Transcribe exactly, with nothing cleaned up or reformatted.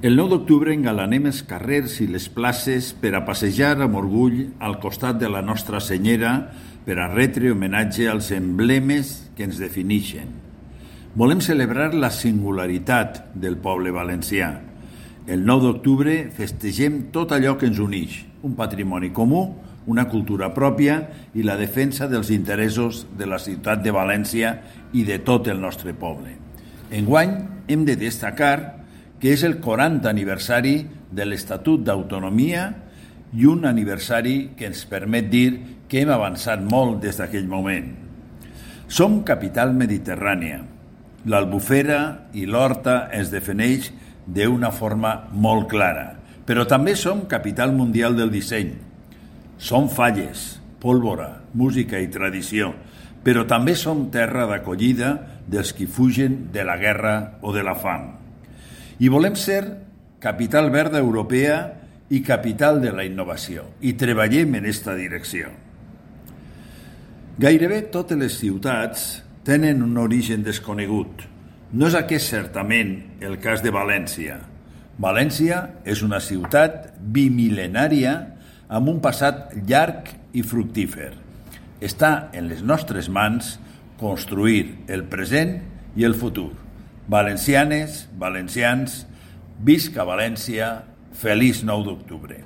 El nou d'octubre engalanem els carrers i les places per a passejar amb orgull al costat de la Nostra Senyera per a retre homenatge als emblemes que ens defineixen. Volem celebrar la singularitat del poble valencià. El nou d'octubre festegem tot allò que ens uneix, un patrimoni comú, una cultura pròpia i la defensa dels interessos de la ciutat de València i de tot el nostre poble. Enguany hem de destacar que és el quaranta aniversari de l'Estatut d'Autonomia i un aniversari que ens permet dir que hem avançat molt des d'aquell moment. Som capital mediterrània. L'Albufera i l'Horta es defineix d'una forma molt clara, però també som capital mundial del disseny. Som falles, pólvora, música i tradició, però també som terra d'acollida dels qui fugen de la guerra o de la fam. I volem ser capital verda europea i capital de la innovació, i treballem en aquesta direcció. Gairebé totes les ciutats tenen un origen desconegut. No és aquest certament el cas de València. València és una ciutat bimil·lenària amb un passat llarg i fructífer. Està en les nostres mans construir el present i el futur. Valencianes, valencians, visca València, feliç nou d'octubre.